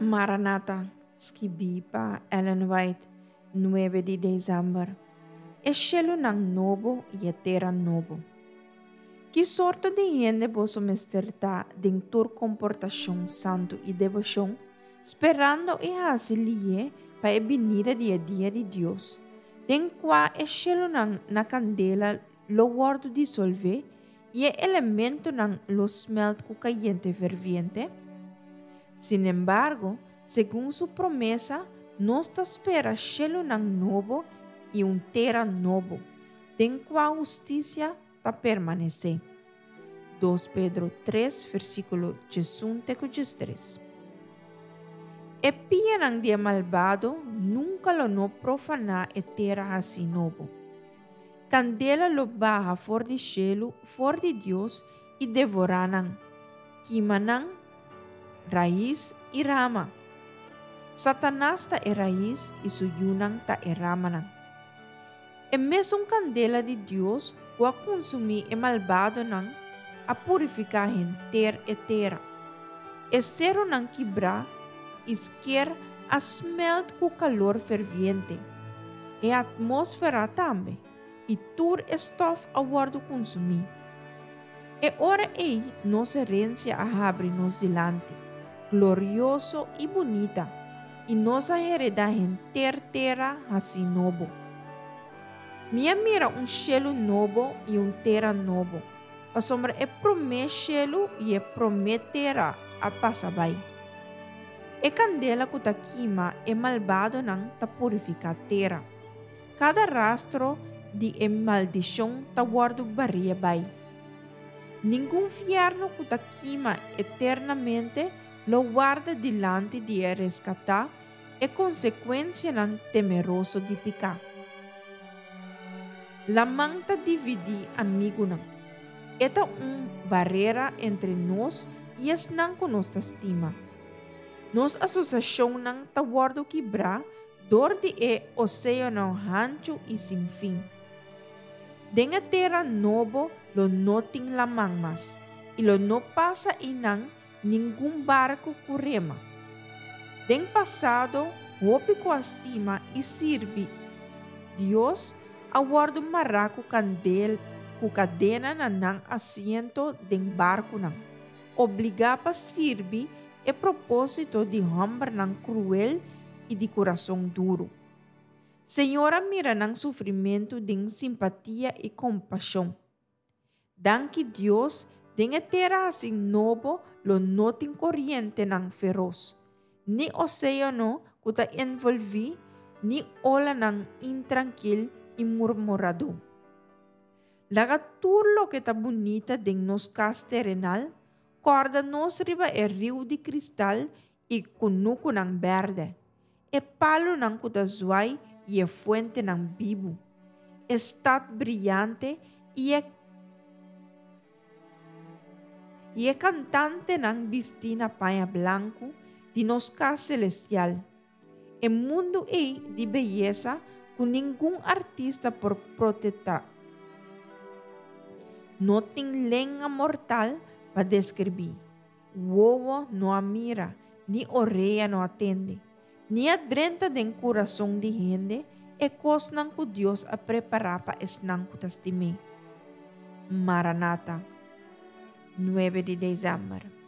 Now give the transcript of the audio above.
Maranata, skibí pa Ellen White, nuebe di desèmber. E shelunan nobo i e tera nobo. Ki sorto di hende boso mester ta den tur komportashon santu i deboshon, sperando i hasi lié pa e binida di e dia di Dios, den kua e shelunan na kandela lo wòrdu disolvé i e elementonan lo smèlt ku kayente ferviente? Sinembargo, segun su promesa, nos ta spera shelunan nobo i un tera nobo, den kua hustisia ta permanesé. Dos Pedro tres, versíkulo diesun te ku diestres. E pianan di e malbado nunka lo no profaná e tera hasí nobo. Kandela lo baha for di shelu for di Dios i devorá nan, kima nan rais i rama. Satanas ta e rais i su yunan ta e ramanan. E mesun kandela di Dios ku a kunsumí e malbadonan a purifiká henter e tera. E serunan kibrá i sker a smèlt ku kalor ferviente. E atmósfera tambe, i tur e stòf a wòrdu kunsumí. E ora ei nos herensia a habri nos dilanti, glorioso i bunita, i nos a heredá henter tera hasí nobo. Mi a mira un shelu nobo i un tera nobo, pasobra e promé shelu i e promé tera a pasa bai. E kandela ku ta kima e malbadonan ta purifiká tera. Kada rastro di e maldishon ta wòrdu baria bai. Ningun fièrnu ku ta kima eternamente lo warda dilanti di e reskatá e konsekuensianan temeroso di piká. Laman ta dividí amigunan. E ta un barera entre nos i esnan ku nos ta stima. Nos asosiashonnan ta wòrdu kibrá dor di e oséano hanchu i sin fin. Den e tera nobo lo no tin laman mas, i lo no pasa einan ningun barku ku rema. Den pasado hopi ku a stima i sirbi Dios a wòrdu mará ku kandel ku kadena na nan asiento den barkunan, obligá pa sirbi e propósito di hòmbernan kruel i di kurason duru. Señor a mira nan sufrimentu den simpatia i kompashon. Danki Dios, den e tera hasi nobo lo no tin korientenan feros, ni oséano ku ta envolví, ni olanan intrankil i murmuradó. Laga tur loke ta bunita den nos kas terenal kòrda nos riba e riu di kristal i kunukunan bèrdè, e palunan ku ta zuai i e fuentenan bibu, e stat briante i e i e kantantenan bistí na paña blanku di nos kas selestial, e mundu ei di beyesa ku ningun artista por protetá. No tin lenga mortal pa deskribí. Wowo no a mira, ni orea no a tende, ni a drenta den kurason di hende e kosnan ku Dios a prepará pa esnan ku ta stim'é. Maranata, nuebe di desèmber.